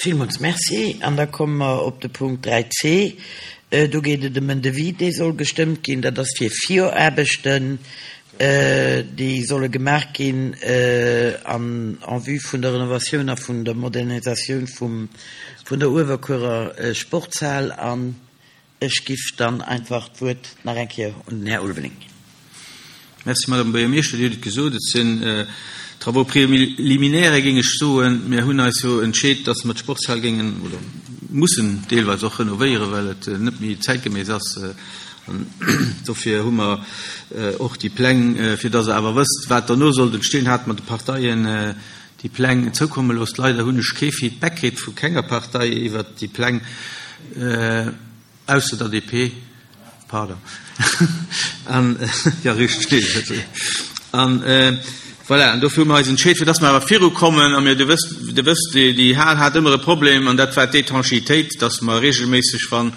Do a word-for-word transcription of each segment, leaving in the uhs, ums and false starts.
Villmools Merci. An da komme mer op de Punkt dräi C. Do geet et ëm en Devis, dee soll gestëmmt ginn. Dat ass fir Viraarbechten, déi solle gemaach ginn an en vue vun der Renovatioun a vun der Modernisatioun vum, vun der Uewerkuerer Sportshal. An ech giff dann einfach d'Wuert nach eng Kéier un den Här Ulveling ginn. Merci, Madame Buergermeeschter. Dir hutt et gesot, et sinn Travaux préliminaires, géing ech soen. Mir hunn eis jo entscheet, dass mer d'Sportshal géingen oder mussen deelweis och renovéieren, well et net méi zäitgeméiss ass. An dofir hu mer och déi Pläng, fir dass Der awer wësst, wat derno sollt entstehen, hate mer de Parteien déi Pläng zoukomme looss. Leider hunn ech kee Feedback kritt vu kenger Partei iwwert déi Pläng, ausser der D P. Pardon. An, ja, richteg. An voilà, an dofir hu mer eis entscheet, fir dass mer awer virukommen, a mir, du wësst, du wësst, déi, déi Hal hat ëmmer e Problem, an dat war d'Étanchéitéit, dass mer regelméisseg, wann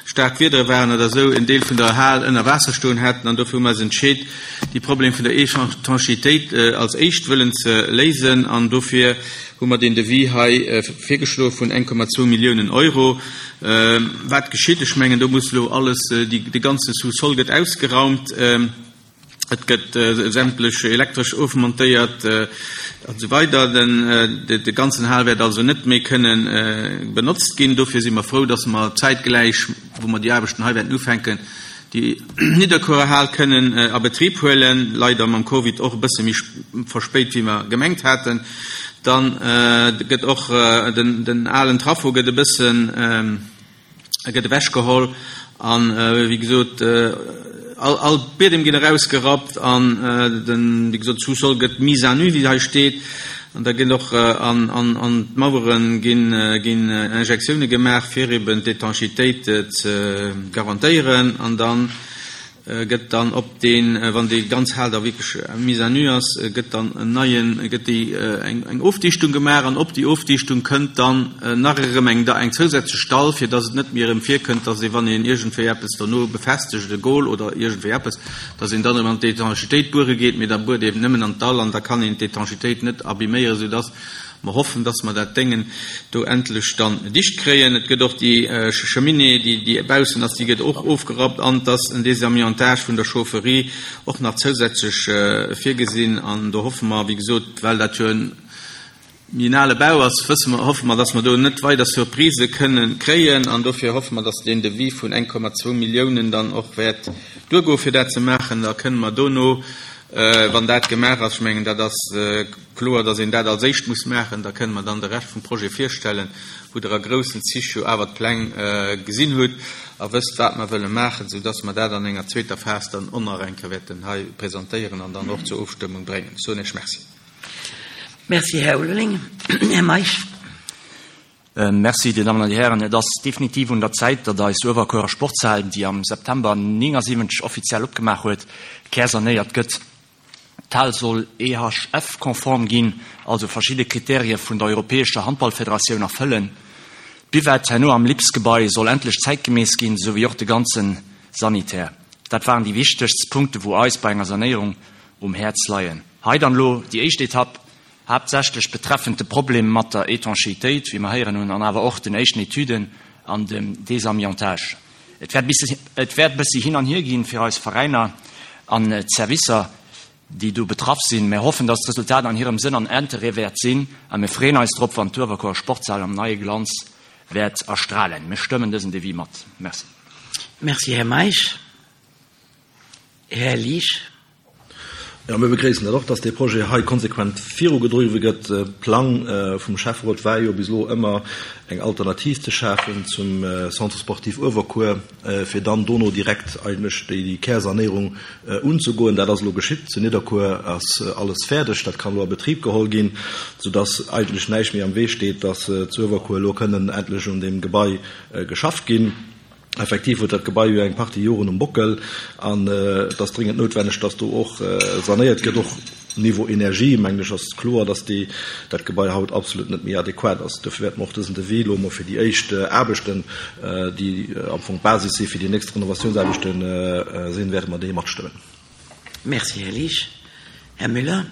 staark Wiedere waren oder esou, en Deel vun der Hal ënner Waasser stoen hätten, an dofir hu mer eis entscheet, déi Problem vun der Étanchéitéit als éischt wëllen ze léisen, an dofir hu mer deen Devis hei virgeschloe vun eng Komma zwou Milliounen Euro. Wat geschitt? Ech mengen, do muss elo alles, déi, de ganze Sous-sol gëtt ausgeraumt, et gëtt sämtlech elektresch ofmontéiert an esou weider. Den, de, de ganzen Hal wäert also net méi kënnen benotzt ginn. Dofir si mer frou, dass mer zäitgläich, wou mer déi Aarbechten hei wäerten ufänken, déi Nidderkuerer Hal kënnen a Betrib huelen. Leider mam Covid och e bësse méi verspéit, wéi mer gemengt haten. Dann gëtt och den, den alen Trafo gëtt e bëssen gëtt ewechgeholl an, wéi gesot, all, all Biedem ginn erausgerappt an den, wéi gesot, Sous-sol gëtt mise à nu, wéi hei steet. An da ginn och an, an, an d'Mauere ginn, ginn Injektioune gemaach, fir eben d'Étanchéitéit ze garantéieren. An dann gëtt dann op deen, wann déi ganz Hal da wierklech mise à nu ass, gëtt dann en neien, gëtt déi eng, eng Ofdichtung gemaach an op déi Ofdichtung kënnt dann nach erëm eng, eng zousätzlech Dall, fir dass et net méi erëm virkënnt, dass ee, wann een iergendwéi eppes dono befestegt, e Gol oder iergendwéi eppes, dass een dann erëm an d'Étanchéitéit buere geet, mee da buert eben nëmmen an d'Dall an da kann een d'Étanchéitéit net abiméieren, soudass mer hoffen, dass mer dat Déngen do endlech dann dicht kréien. Et gëtt och déi Cheminée, déi, déi baussen ass, déi gëtt och ofgerappt an dass en Désamiantage vun der Chaufferie och nach zousätzlech virgesinn. An do hoffe mer, wéi gesot, well dat jo en méi en ale Bau ass, wësse mer, hoffe mer, dass mer do net weider Surprisë kënnen kréien. An dofir hoffe mer, dass deen Devis vun eng Komma zwou Milliounen dann och wäert duergoen, fir dat ze maachen. Da kënne mer dono, wann dat gemaach ass, ech mengen, dat ass kloer, dass een dat als éischt muss maachen, da kënne mer dann de Rescht vum Projet virstellen, wou Der a groussen Zich jo awer d'Pläng gesinn hutt a wësst, wat mer wëlle maachen, soudass mer dat an enger zweeter Phas dann och nach eng Kéier wäerten hei presentéieren an dann och zur Ofstëmmung bréngen. Ech soen Iech Merci. Merci, Här Ulveling. Här Meisch. Merci, Dir Dammen an Dir Hären. Et ass definitiv un der Zäit, datt eis Uewerkuerer Sportshal, déi am September neunundsiebzeg offiziell opgemaach huet, kärsanéiert gëtt. D'Hal soll E H F-konform ginn, also verschidde Kriterie vun der Europäescher Handballfederatioun erfëllen. D'Buvette herno am Lipsgebai soll endlech zäitgemäss ginn, souwéi och de ganze Sanitär. Dat waren déi wichtegst Punkte, wou eis bei enger Sanéierung um Häerz leien. Hei dann elo déi éischt Etapp, haaptsächlech betreffend de Problem mat der Étanchéitéit, wéi mer héieren hunn, an awer och den éischten Etüden an dem Désamiantage. Et wäert bëssi, et wäert bëssi hin an hier ginn fir eis Veräiner an d'Servicer, déi do betraff sinn. Mir hoffen, dass d'Resultat an hirem Sënn an Interêt wäert sinn a mir freeën eis drop, wann d'Uewerkuerer Sportshal am neie Glanz wäert erstralen. Mir stëmmen dësen Devis mat. Merci. Merci, Här Meisch. Här Liesch. Ja, mir begréissen dat och, dass dee Projet hei konsequent virugedriwwe gëtt. Plang vum Schäfferot war jo bis elo ëmmer eng Alternativ ze schafen zum Centre sportif Uewerkuer, fir dann dono direkt eigentlech déi Kärsanéierung unzegoen. Dat ass elo geschitt. Zu Nidderkuer ass alles fäerdeg, dat kann elo a Betrib geholl ginn, soudass eigentlech näischt méi am Wee steet, dass zu Uewerkuer elo kënnen endlech un deem Gebai geschafft ginn. Effektiv huet dat Gebai jo eng Partie Joren um Bockel an et ass dringend noutwenneg, dass do och sanéiert gëtt. Och Niveau Energie, mengen ech, ass kloer, dass déi, dat Gebai haut absolut net méi adequat ass. Dofir wäerte mer och dësen Devis elo emol fir déi éischt Aarbechten, déi am Fong d'Basis si fir déi nächst Renovatiounsaarbechten sinn, wäerte mer déi matstëmmen. Merci, Här Liesch. Här Müller.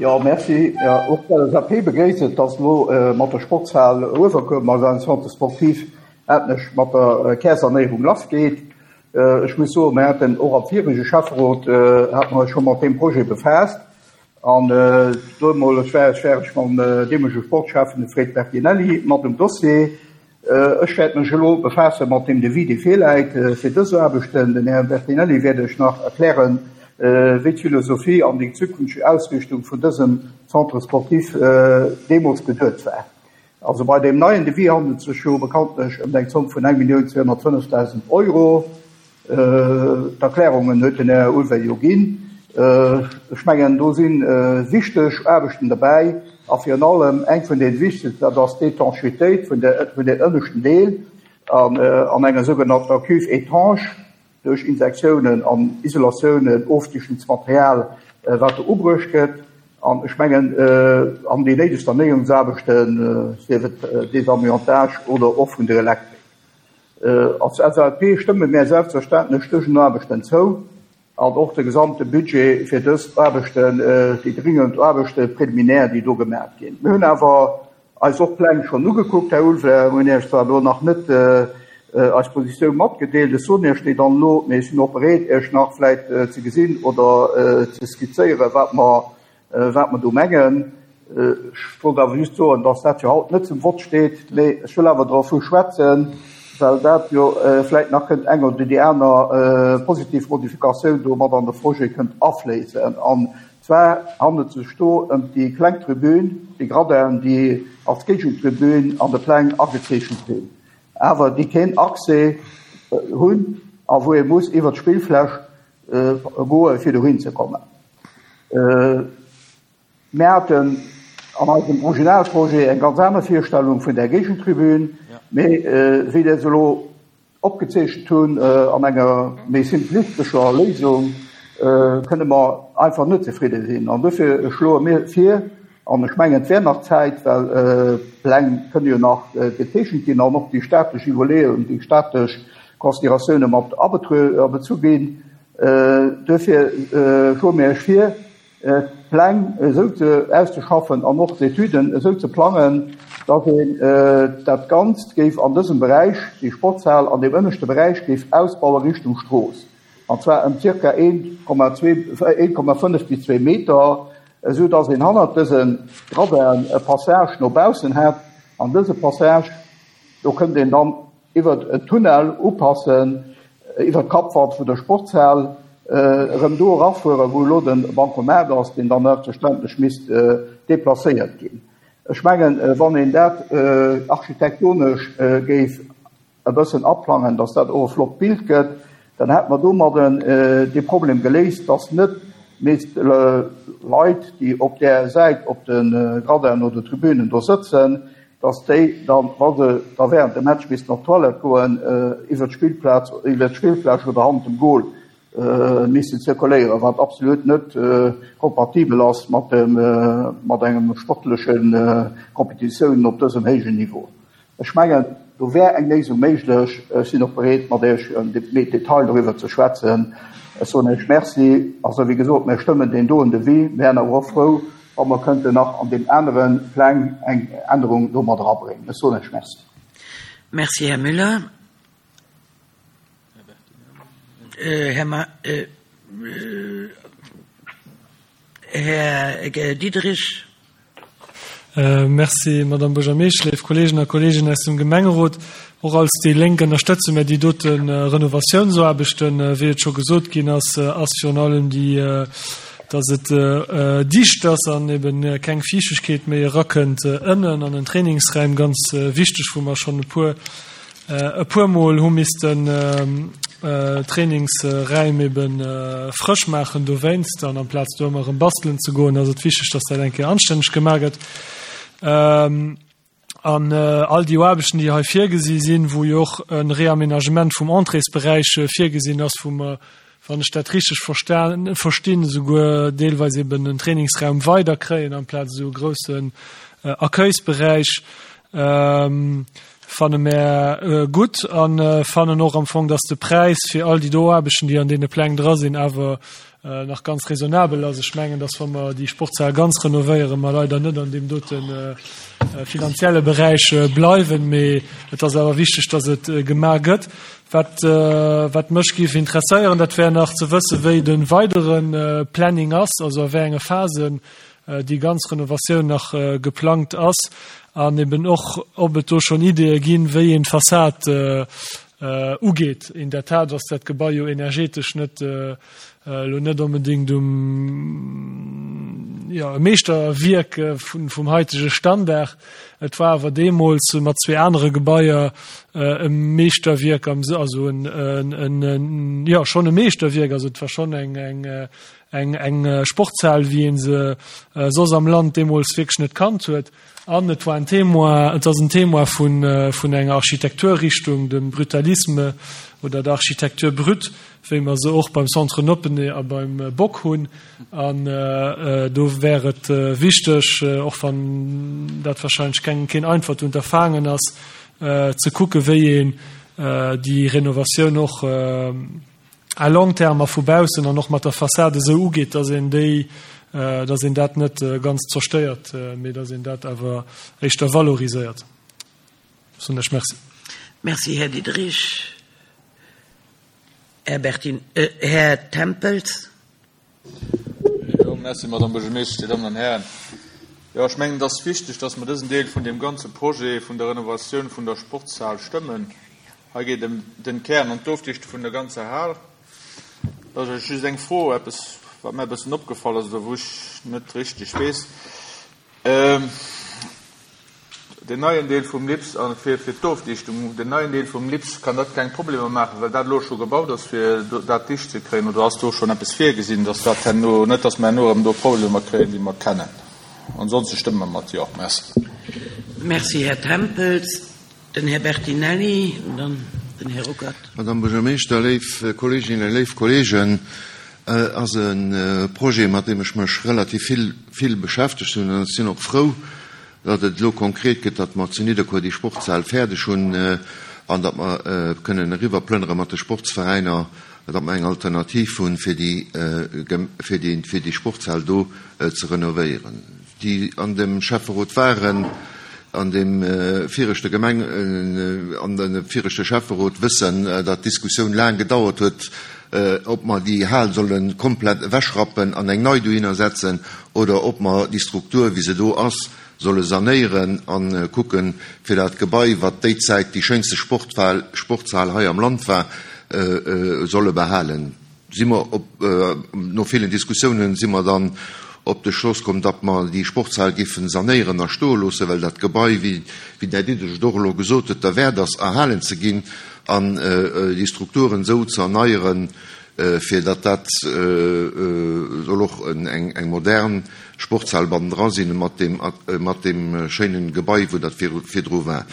Jo, merci. Och d'LSAP begréisst et, dass elo mat der Sportshal Uewerkuer, mat eisem Centre sportif, endlech mat der Kärsanéierung lassgeet. Ech muss soen, mir haten och am virege Schäfferot, hate mer eis scho mat deem Projet befaasst. An deemools war ech war ech mam deemolege Sportschäffen, de Fred Bertinelli, mat um Dossier. Ech wäert mech elo befaasse mat deem Devis, dee virläit fir dës Aarbechten. Den Här Bertinelli wäert Iech nach erklären, wéi d'Philosophie an déi zukünfteg Ausrichtung vun dësem Centre sportif deemools geduet war. Also bei deem neien Devis handelt et sech jo bekanntlech ëm eng Zomm vun eng Millioun zweehonnertfënnefdausend Euro. D'Erklärungen huet den Här Ulveil jo ginn. Ech mengen, do si wichteg Aarbechten derbäi a virun allem eng vun deene wichtegsten, dat ass d'Étanchéitéit vun deem ënneschten Deel an enger sougenannter Cuve étanche duerch Insektiounen an Isolatiounen, Ofdichtungsmaterial, wat do ubruecht gëtt. An ech mengen, an déi néideg Sanéierungsaarbechten, sief et Désamiantage oder och vun der Elektrik. Als L S A P stëmme mär selbstverständlech dësen Aarbechten zou an och de gesamte Budget fir dës Aarbechten, déi dringend Aarbechte préliminaire, déi do gemaach ginn. Mir hunn awer eis och Pläng schonn ugekuckt, Här Ulveil. Mir hunn Iech zwar elo nach net eis Positioun matgedeelt, ech soen Iech déi dann elo, mee ech sinn och bereet, Iech nach vläit ze gesinn oder ze skizzéieren, wat mer wat mer do mengen. Ech wollt awer just soen, dass dat jo haut net zum Vott steet, mee ech wëll awer dervu schwätzen, well dat jo vläit nach kënnt eng oder déi aner positiv Modifikatioun do mat an de Projet kënnt afléissen. An zwar handelt et sech do ëm déi kleng Tribün, déi Gradinen, déi als Géigentribün an de Pläng agezeechent sinn, awer déi keen Accès hunn a wou ee muss iwwer d'Spillfläch goe fir dohin ze kommen. Mir haten an eisem Originalprojet eng ganz aner Virstellung vun där Géigentribün, mee wéi der se elo opgezeechent hunn an enger méi simplistescher Léisung, kënne mer einfach net zefridde sinn. An dofir schloe mir vir, an ech mengen, et wär nach Zäit, well d'Pläng kënne jo nach gezeechent ginn an och déi staatlech Iwwerleeungen, déi staatlech Consideratioune mat abezu ginn, duerfir schloe mir Iech vir, d'Pläng esou ze auszeschaffen an och d'Etüden esou ze plangen, datt een dat Ganzt géif an dësem Beräich, déi Sportshal an deem ënneschte Beräich géif ausbaue Richtung Strooss, an zwar ëm zirka een Komma zwee, een Komma fënnef bis zwee Meter, esou datt een hannert dëse Gradin e Passage no baussen hätt. An dëse Passage, do kënnt een dann iwwert en Tunnel upassen, iwwert d'Kappwand vun der Sportshal, erëm do erafueren, wou elo de Bancomat ass, deen dann selbstverständlech misst deplacéiert ginn. Ech mengen, wann een dat architektonesch géif e bëssen aplangen, dass dat och e flott Bild gëtt, dann hätt mer domadden dee Problem geléist, dass net misst Leit, déi op där Säit op de Gradinen oder Tribünen do sëtzen, dass déi dann, wa se da während dem Match missten op d'Toilette goen, iwwer d'Spillplaz, iwwer d'Spillfläch oder hannert dem Goal missten zirkuléieren, wat absolut net kompatibel ass mat dem, mat engem sportleche Kompetitiounen op dësem héijen Niveau. Ech mengen, do wär eng Léisung méiglech. Ech sinn och bereet, mat Iech méi Detail doriwwer ze schwätzen. Ech soen Iech Merci. Also, wéi gesot, mir stëmmen deen doen Devis. Mir wären awer och frou, wa mer kënnten nach an deem anere Pläng eng Ännerung do mat erabréngen. Ech soen Iech Merci. Merci, Här Müller. Här Ma, Här Diederich. Merci, Madame Buergermeeschtesch, léif Kolleegen a Kolleeginnen aus dem Gemengerot. Och als déi Lénk ënnerstëtze mir déi dote Renovatiounsaarbechten. Wéi et scho gesot ginn ass, ass virun allem déi, dass et dicht ass an eben keng Fiichtegkeet méi erakënnt ënnen an den Trainingsräim, ganz wichteg, wou mer schonn e puer e puer Mol hu missten Trainingsräim eben frësch maachen dowéinst, an amplaz do ëmmer erëm bastelen ze goen, ass et wichteg, dass dat eng Kéier anstänneg gemaach gëtt. An all déi Aarbechten, déi hei virgesi sinn, wou jo och e Reaménagement vum Entréesberäich virgesinn ass, wou mer, wann ech dat richteg verstinn, esouguer deelweis eben en Trainingsraum weider kréien amplaz esou e groussen Accueilsberäich, fanne mär gutt a fannen och am Fong, dass de Präis fir all déi do Aarbechten, déi an deene Pläng dra sinn, awer nach ganz raisonnabel ass. Ech mengen, dass wa mer déi Sportshal ganz renovéieren, mer leider net an deem dote finanzielle Beräich bleiwen, mee et ass awer wichteg, dass et gemaach gëtt. Wat, wat mech géif interesséieren, dat wär nach ze wëssen, wéi de weidere Planning ass, also a wéi enge Phasen déi ganz Renovatioun nach geplangt ass an eben och, ob et do schonn Ideeë ginn, wéi een d'Fassad ugeet. In der Tat ass dat Gebai jo energetesch net elo net onbedéngt um, jo, e Meeschterwierk vun, vum haitege Standard. Et war awer deemools mat zwee anere Gebaier e Meeschterwierk am, also en, en, en, jo, schonn e Meeschterwierk, also et war schonn eng, eng, eng, eng Sportshal, wéi ee se soss am Land deemools wierklech net kannt huet. An et war en Témoin, et ass en Témoin vun, vun enger Architekturrichtung, dem Brutalisme oder der Architecture brute, wéi mer se och beim Centre Noppeney a beim Bock hunn. An do wär et wichteg, och wann dat wahrscheinlech keng, keen einfacht Unterfangen ass, ze kucke wéi een déi Renovatioun och à long terme a vu baussen an och mat der Fassade esou ugeet, dass een déi, dass een dat net ganz zerstéiert, mee dass een dat awer éischter valoriséiert. Soen ech Merci. Merci, Här Diderich. Här Bertin, Här Tempels. Jo, merci, Madame Buergermeeschtesch, Dir Dammen an Hären. Jo, ech mengen, et ass wichteg, dass mer dësen Deel vun deem ganze Projet vun der Renovatioun vun der Sportshal stëmmen. Hei geet ëm den Kern an d'Ofdichte vun der ganzer Hal. Da ass just eng Fro, eppes, wat mir e bëssen opgefall ass oder wou ech net richteg weess. Deen neien Deel vum LIPS, a fir fir d'Ofdichtung, den neien Deel vum LIPS, kann dat keng Problemer maachen, well dat elo scho gebaut ass, fir dat dicht ze kréien? Oder ass do schonn eppes virgesinn, dass dat herno, net dass mer herno erëm do Problemer kréien, déi mer kennen? Ansonste stëmme mer mat Jo. Merci. Merci, Här Tempels. Den Här Bertinelli an dann den Här Ruckert. Madame Buergermeeschter, léif Kolleeginnen, léif Kolleegen, ass e Projet, mat deem ech mech relativ vill, vill beschäftegt hunn. An ech sinn och frou, datt et elo konkret gëtt, datt mer zu Nidderkuer déi Sportshal fäerdeg hunn an datt mer kënnen eriwwerplënnere mat de Sportsveräiner, datt mer eng Alternativ hunn, fir déi, fir déi, fir déi Sportshal do ze renovéieren. Déi an dem Schäfferot waren, an deem viregte Gemeng, an dem viregte Schäfferot wëssen, datt d'Diskussioun laang gedauert huet, ob mer déi Hal solle komplett ewechrappen an eng nei dohinner setzen oder ob mer déi Struktur, wéi se do ass, solle sanéieren a kucken, fir dat Gebai, wat déi Zäit déi schéinste Sporthal, Sportshal hei am Land war, solle behalen. Si mer op, no villen Diskussiounen si mer dann op de Schloss komm, datt mer déi Sportshal géifen sanéieren a stoe loossen, well dat Gebai, wéi den Här Diderich et och elo gesot huet, derwäert ass, erhalen ze ginn an déi Strukturen esou ze erneieren, fir datt dat soll och eng modern Sportshal bannendra sinn mat deem, mat deem schéinen Gebai, wou dat virdru war.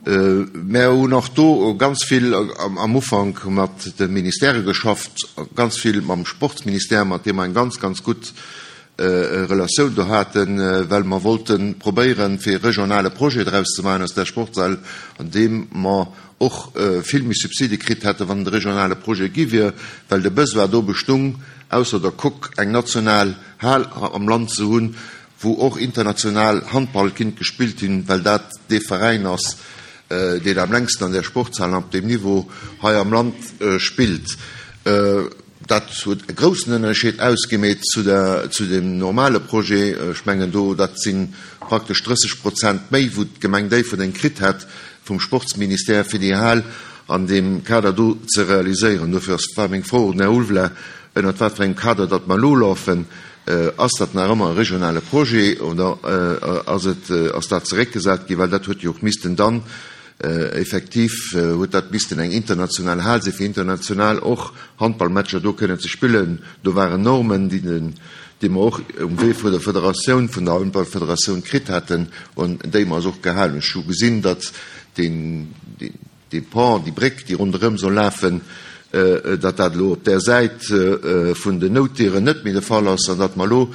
Mär hunn och do ganz vill am Ufank mat de Ministèrë geschafft, ganz vill mam Sportsministère, mat deem mer eng ganz, ganz gutt Relatioun do haten, well mer wollte probéieren, fir e regionale Projet draus ze maachen aus där Sportshal, an deem mer och vill méi Subside kritt hätten, wann et e regionale Projet gi wier, well de Besoin do bestung, ausser der Coque eng national Hal am Land ze hunn, wou och international Handball kinnt gespillt ginn, well dat dee Veräin ass, deen am längsten an där Sportshal an op deem Niveau hei am Land spillt. Dat huet e groussen Ënnerscheed ausgemeet zu der, zu dem normale Projet. Ech mengen do, dat si praktesch drësseg Prozent méi, wou d'Gemeng Déifferdeng kritt hätt vum Sportsministère, fir déi Hal an deem Kader do ze realiséieren. Dofir ass, war meng Fro un den Här Ulveling, ënnert wat fir engem Kader datt mer elo lafen. Ass dat nach ëmmer e regionale Projet oder ass et, ass dat zeréckgesat ginn? Well dat huet jo och missten dann effektiv huet dat missten eng international Hal sinn, fir international och Handballmatcher do kënnen ze spillen. Do waren Normen, déi den, déi mer och um Wee vun der Federatioun, vun der Handballfederatioun kritt haten an déi mer eis och gehalen hunn. Ech hu gesinn, datt deen, deen, dee Pont, déi Bréck, déi ronderëm soll lafen, datt dat elo op där Säit vun den Noutdieren net méi de Fall ass an datt mer elo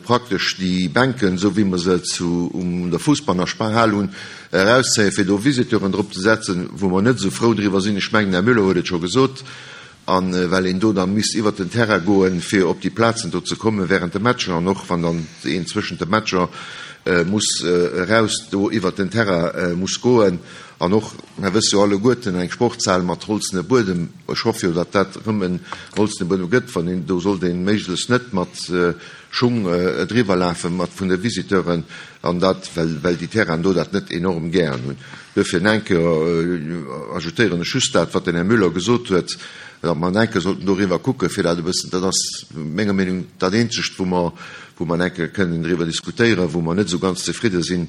praktesch déi Bänken, esou wéi mer se zu um der Fussbanner Sparhal hunn, erauszéien, fir do Visiteuren drop ze setzen, wou mer net esou frou driwwer sinn. Ech mengen, den Här Müller huet et scho gesot. A An well een do dann misst iwwert den Terrain goen, fir op déi Plazen do ze kommen während de Matcher an och wann dann een zwëschent de Matcher muss eraus do iwwert den Terrain muss goen. An och, mer wësse jo alleguerten, eng Sportshal mat holzene Buedem, ech hoffe jo, datt dat erëm en holzene Buedem gëtt, wann een, do sollt een méiglechst net mat Schung driwwer lafen, mat vun de Visiteuren, an dat, well, well déi Terrainen do dat net enorm gären hunn. Duerfir en Kéier ajoutéieren ech just dat, wat den Här Müller gesot huet, datt mer en Kéier sollten doriwwer kucken, fir dat e bëssen, dat ass menger Meenung dat Eenzegt, wou mer, wou mer en Kéier kënnen driwwer diskutéieren, wou mer net esou ganz zefridde sinn,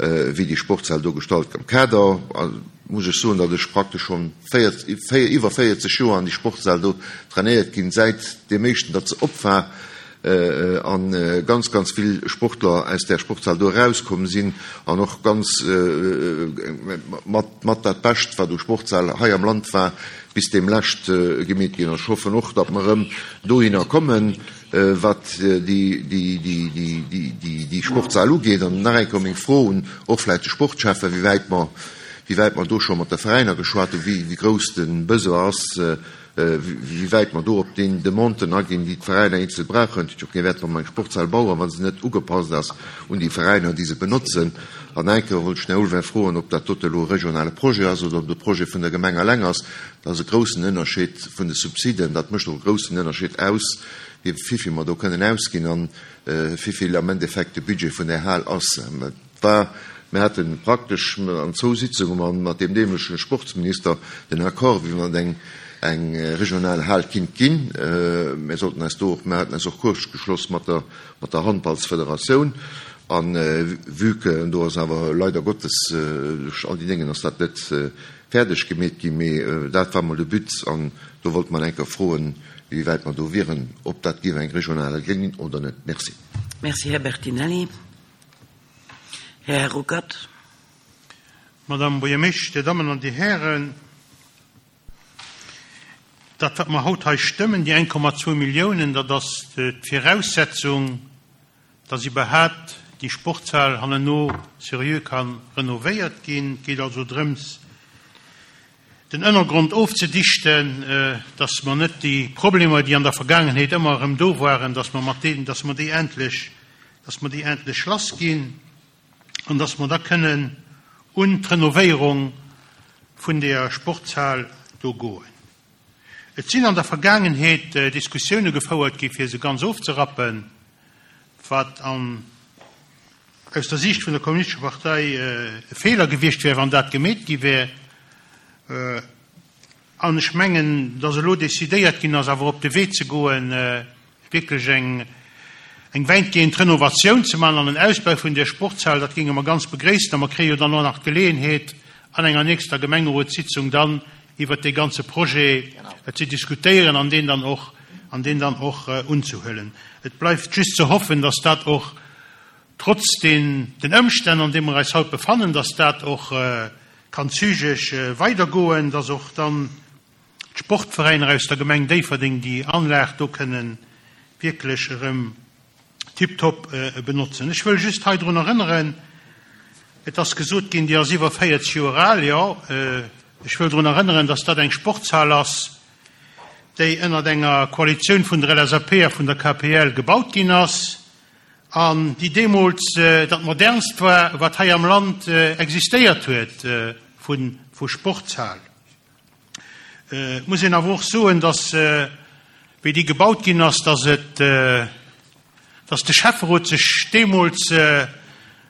wéi déi Sportshal do gestalt gëtt. Am Kader muss ech soen, datt ech praktesch schonn iwwer véierzeg Joer an déi Sportshal do trainéiert ginn, säit deem éischten, datt se op war, a ganz, ganz vill Sportler aus där Sportshal do erauskomm sinn an och ganz mat, mat dat Bescht, wat u Sportshal hei am Land war, bis deemlescht gemeet ginn. Ech hoffen och, datt mer erëm dohinner kommen, wat déi Sportshal ugeet. An nach eng Kéier meng Fro un och vläicht de Sportschäffen, wéi wäit mer, wéi wäit mer do scho mat de Veräiner geschwat hunn, wéi grouss de Besoin ass, wéi wäit mer do op déi Demanden aginn, déi d'Veräiner eenzel brauchen. Et huet jo kee Wäert, wa mer eng Sportshal bauen, wa se net ugepasst ass un déi Veräiner, déi se benotzen. An eng Kéier wollt ech den Här Ulvein froen, ob dat dote elo e regionale Projet ass oder ob de Projet vun der Gemeng eleng ass. Dat ass e groussen Ënnerscheed vun de Subsiden. Dat mécht och e groussen Ënnerscheed aus, wéi vill mer do kënnen ausginn an wéi vill am Endeffekt de Budget vun där Hal ass. Et war, mir hate praktesch an zwou Sitzunge mat deem deemolege Sportsminister den Accord, wéi wann et eng eng regional Hal kinnt ginn. Mir sollten eis do och, mir haten eis och kuerzgeschloss mat der, mat der Handballsfederatioun. An vue que do ass awer leider Gottes duerch all déi Déngen ass dat net fäerdeg gemeet ginn, mee dat war mol de But an do wollt mer eng Kéier froen, wéi wäit mer do wieren, ob dat géif eng regional Hal ginn oder net. Merci. Merci, Här Bertinelli. Här Ruckert. Madame Buergermeeschtesch, Dir Dammen an Dir Hären, dat, wat mer haut hei stëmmen, déi eng Komma zwou Milliounen, dat ass d'Viraussetzung, dass iwwerhaapt déi Sportshal hanneno seriö ka renovéiert ginn. Et geet also drëms, den Ënnergrond ofzedichten, dass mer net déi Problemer, déi an der Vergaangenheet ëmmer erëm do waren, dass mer mat deenen, dass mer déi endlech, dass mer déi endlech lass ginn an dass mer da kënnen un d'Renovéierung vun der Sportshal do goen. Et sinn an der Vergaangenheet Diskussioune gefouert gi fir se ganz ofzerappen, wat an aus der Siicht vun der Kommunistescher Partei e Feeler gewiescht wär, wann dat gemeet gi wär. An ech mengen, datt elo decidéiert ginn ass, awer op de Wee ze goen, wierklech eng eng wäitgehend Renovatioun ze maachen an en Ausbau vun där Sportshal, dat géinge mer ganz begréissen. A mer kréie jo dann och nach d'Geleeënheet, an enger nächster Gemengerotssitzung dann iwwert dee ganze Projet ze diskutéieren an deen dann och, an deen dann och unzehuelen. Et bleift just ze hoffen, datt dat och trotz den, den Ëmstänn, an deene mer eis haut befannen, datt dat och kann zügeg weidergoen, datt och dann d'Sportveräiner aus der Gemeng Déifferdeng déi Anlag do kënnen wierklech erëm tiptop benotzen. Ech wëll just hei drun erënneren, et ass gesot ginn, déi ass iwwer véierzeg Joer al, jo, ech wëll drun erënneren, datt dat eng Sportshal ass, déi ënnert enger Koalitioun vun der L S A P a vun der K P L gebaut ginn ass an déi deemools dat modernst war, wat hei am Land existéiert huet vu, vu Sportshal. Et muss een awer och soen, datt, wéi déi gebaut ginn ass, datt et, datt de Schäfferot sech deemools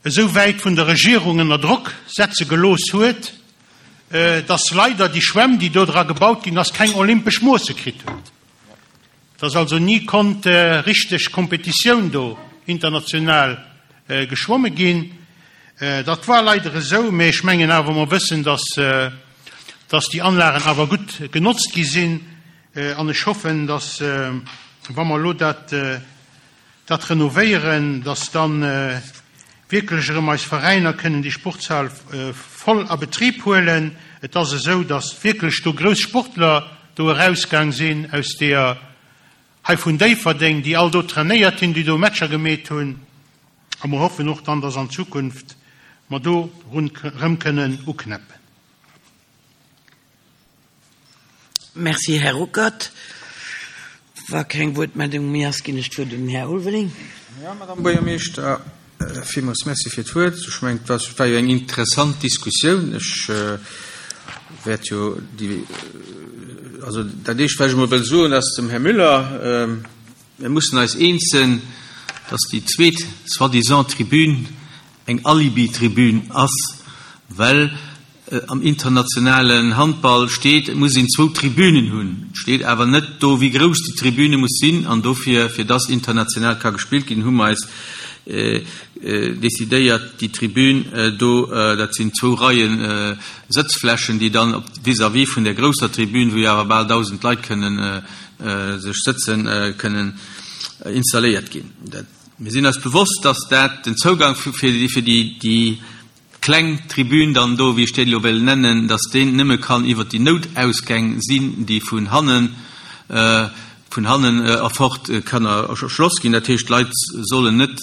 esou wäit vun der Regierung ënner Drock setze gelooss huet, datt leider déi Schwämm, déi do dra gebaut ginn ass, keng olympesch Moosse kritt huet. Datt also ni konnt richteg Kompetitioun do international geschwomme ginn. Dat war leider esou, mee ech mengen awer, mer wëssen, datt, datt déi Anlagen awer gutt genotzt gi sinn. An ech hoffen, datt, wa mer elo dat, dat renovéieren, datt dann wierklech erëm eis Veräiner kënnen déi Sportshal voll a Betrib huelen. Et ass esou, datt wierklech do grouss Sportler do erausgaang sinn aus der hei vun Déifferdeng, déi all do trainéiert hunn, déi do Matcher gemeet hunn. A mer hoffen och dann, datt an Zukunft mer do run-, erëm kënnen uknäppen. Merci, Här Ruckert. Wa keng Wuertmeldung méi ass, ginn ech d'Wuert un den Här Ulveling. Jo, Madame Buergermeeschter, villmools Merci fir d'Wuert. Ech mengen, et war jo eng interessant Diskussioun. Ech wäert jo déi, also dat Éischt, wat ech emol wëll soen, ass dem Här Müller, Mir mussen eis eens sinn, dass déi zweet soi-disant Tribün eng Alibi-Tribün ass, well am internationalen Handball steet, et muss een zwou Tribünen hunn. Et steet awer net do, wéi grouss déi Tribüne muss sinn. An dofir, fir dass international ka gespillt ginn, hu mer eis decidéiert, déi Tribün do, dat sinn zwou Reie Sëtzflächen, déi dann op vis-à-vis vun där grousser Tribün, wou jo awer bal dausend Leit kënnen sech sëtzen, kënnen installéiert ginn. Mir sinn eis bewosst, dass dat den Zougang fir déi kleng Tribün dann do, wéi ech déi elo wéll nennen, dass deen nëmme kann iwwert déi Noutausgäng sinn, déi vun hannen, vun hannen erfort kann erschloss ginn. Dat heescht, d'Leit sollen net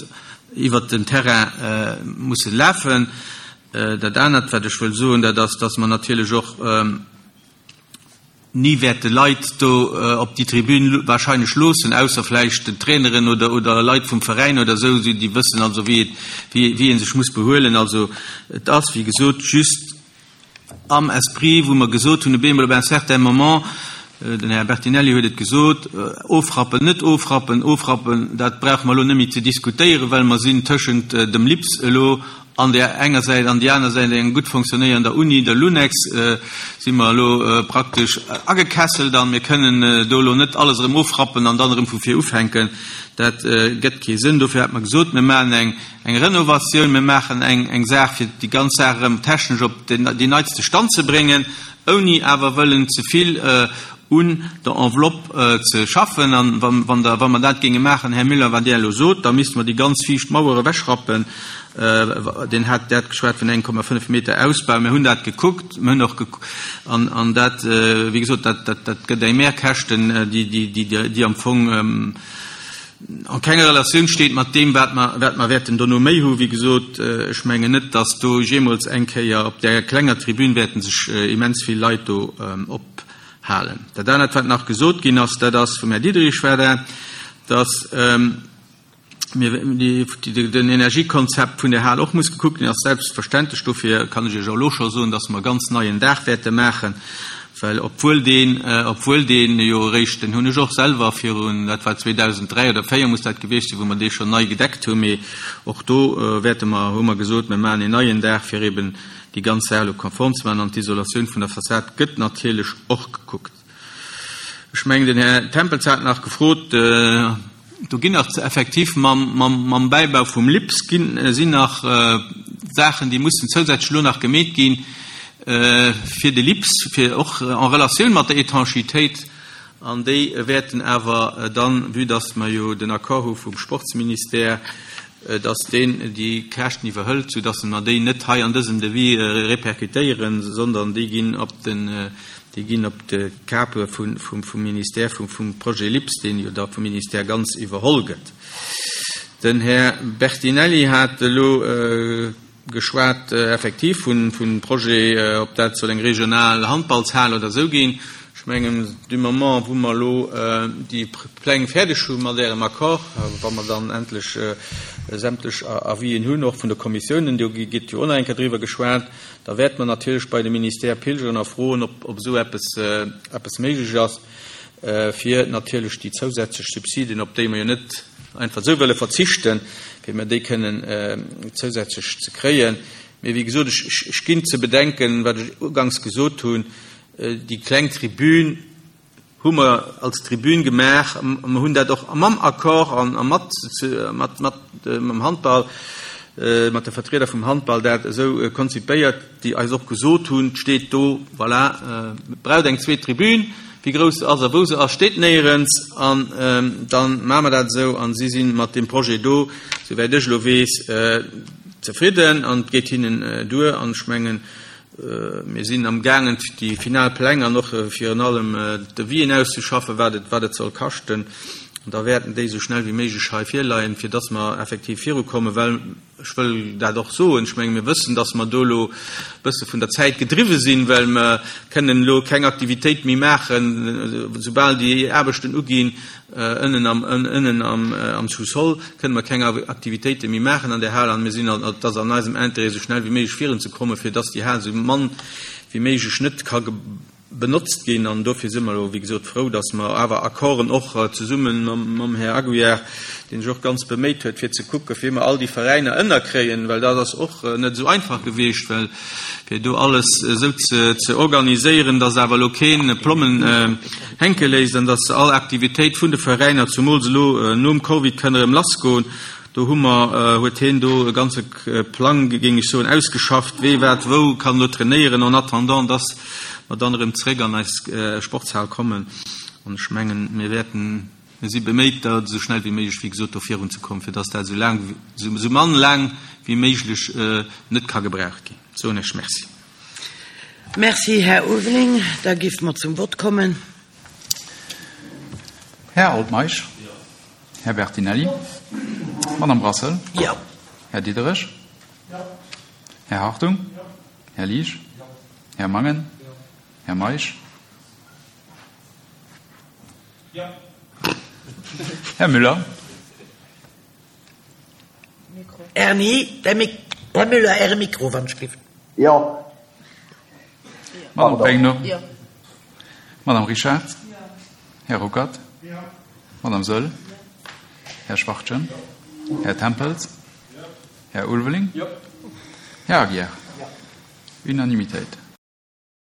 iwwert den Terrain musse lafen. Dat anert, wat ech wëll soen, dat ass, dass mer natierlech och ni wäerte Leit do op déi Tribün wahrscheinlech loossen, ausser vläicht den Traineren oder, oder Leit vum Veräin oder esou, déi wëssen also, wéi et, wéi, wéi ee sech muss behuelen. Also et ass, wéi gesot, just am Esprit, wou mer gesot hunn, op eemol op un certain moment, den Här Bertinelli huet et gesot, ofrappen, net ofrappen, ofrappen, dat brauche mer elo net méi ze diskutéieren, well mer sinn tëschent dem LIPS elo an där enger Säit an déi aner Säit eng gutt fonctionnéierender Uni, der LUNEX, si mer elo praktesch agekesselt an mir kënnen do elo net alles erëm ofrappen an dann erëm vu vir ufänken. Dat gëtt kee Sënn. Dofir hat mer gesot, mir maachen eng, eng Renovatioun, mir maachen eng, eng Saach, fir déi ganz Saach erëm technesch op den, deen neitste Stand ze bréngen, ouni awer wëllen ze vill un der Enveloppe ze schaffen. An wann, wann der, wa mer dat géinge maachen, Här Müller, wat Dir elo sot, da misste mer déi ganz viischt Mauer ewechrappen. Deen hat dat geschwat vun eng Komma fënnef Meter Ausbau. Mir hunn dat gekuckt, mir hunn och gek-, an, an dat, wéi gesot, dat, dat, dat gëtt eng Mehrkäschten, déi, déi, déi, déi am Fong an kenger Relatioun steet mat deem, wat mer, wat mer wäerten dono méi hu. Wéi gesot, ech mengen net, dass do jeemools eng Kéier op där klenger Tribün wäerten sech immens vill Leit do ophalen. Dat anert, wat nach gesot ginn ass, dat ass vum Här Diderich war dat, dass mir die, die, den Energiekonzept vun der Hal och muss gekuckt ginn, ass selbstverständlech. Dofir kann ech Iech och elo scho soen, dass mer ganz neien Daach wäerte maachen, well obwuel deen, obwuel deen jo eréischt, den hunn ech och selwer virun, dat war zweedausenddräi oder véier muss dat gewiescht sinn, wou mer dee schonn nei gedeckt hunn, mee och do wäerte mer, hu mer gesot, mir maachen een neien Daach, fir eben déi ganz Saach elo konform ze maachen, an d'Isolatioun vun der Fassad gëtt natierlech och gekuckt. Ech mengen, den Här Tempels hat nach gefrot, do ginn nach effektiv mam, mam, mam Bäibau vum LIPS ginn, sinn nach Saachen, déi mussen zousätzlech elo nach gemeet ginn, fir de LIPS, fir och en Relatioun mat der Étanchitéit, an déi wäerten awer dann, vue dass mer jo den Accord hu vum Sportsministère, dass deen déi Käschten iwwerhëlt, soudass mer déi net hei an dësem Devis répercutéieren, sondern déi ginn op den, déi ginn op de Kape vun, vum, vum Ministère, vum, vum Projet LIPS, deen jo da vum Ministère ganz iwwerholl gëtt. Den Här Bertinelli hat elo geschwat effektiv vun, vun Projet, ob dat soll eng regional Handballshal oder esou ginn. Ech mengen, du moment, wou mer elo déi Pläng fäerdeg hu mat ärem Accord, wa mer dann endlech sämtlech Avisen hunn, och vun de Kommissiounen, do gëtt jo och nach eng Kéier driwwer geschwat, da wäert mer natierlech bei dem Ministère pilgeren a froen, ob, ob esou eppes, eppes méiglech ass, fir natierlech déi zousätzlech Subsidien, op déi mer jo net einfach esou wëlle verzichten, fir mer déi kënnen zousätzlech ze kréien. Mee wéi gesot, ech, ech, ech ginn ze bedenken, wat ech ugangs gesot hunn, déi kleng Tribün hu mer als Tribün gemaach, mer hunn dat och mam Accord an, a mat, mat, mat, mam Handball, mat de Vertrieder vum Handball dat esou konzipéiert, déi eis och gesot hunn, steet do, voilà, braucht eng zweet Tribün, wéi grouss se ass a wou se ass, steet néierens, an dann maache mer dat esou, an si sinn mat dem Projet do, souwäit ech elo weess, zefridden, an et geet hinnen duer, an ech mengen, mir sinn am gaangen, déi final Pläng an och virun allem Devisen auszeschaffen, wat et, wat et soll kaschten, An da wäerten déi esou schnell wéi méiglech hei virleien, fir dass mer effektiv virukommen, well ech wëll dat och soen, ech menge mir wëssen, dass mer do elo e bësse vun der Zäit gedriwwe sinn, well mer kënnen elo keng Aktivitéit méi maachen, soubal déi Aarbechten uginn ënnen am, ënnen am, am Sous-sol, kënnen mer keng Aktivitéite méi maachen an där Hal. An mir sinn, et ass an eisem Intérêt, esou schnell wéi méiglech virunzekommen, fir dass déi Hal esou mann wéi méiglech net ka benotzt ginn. An dofir si mer elo, wéi gesot, frou, dass mer awer Accorden och zesumme mam Här Aguiar, dee sech och ganz beméit huet, fir ze kucken, wéi mer all déi Veräiner ënnerkréien, well dat ass och net esou einfach gewiescht, well fir do alles esou ze organiséieren, dass awer elo keen Plommen hänke léisst an dass all Aktivitéit vun de Veräiner, zumools elo nom Covid, kënn erëm lassgoen. Do hu mer, huet hien do e ganze Plang, géing ech soen, ausgeschafft, wee wat wou kann elo trainéieren, en attendant, dass mer dann erëm zréck an eis Sportshal kommen. An ech mengen, mir wäerten, mir si beméit, da esou schnell wéi méiglech, wéi gesot, do virunzekommen, fir dass dat esou laang, esou mann laang wéi méiglech net ka gebraucht ginn. Soen ech Merci. Merci, Här Ulveling. Da géife mer zum Vott kommen. Här Altmeisch. Här Bertinelli. Madame Brassel. Jo. Här Diderich. Här Hartung. Här Liesch. Här Mangen. Här Meisch. Här Müller. Erni, Här Müller, Äre Mikro, wann ech giff. Jo. Madame Pregno. Madame Richard. Här Ruckert. Madame Saeul. Här Schwachtgen. Här Tempels. Här Ulveling. Här Aguiar. Unanimitéit.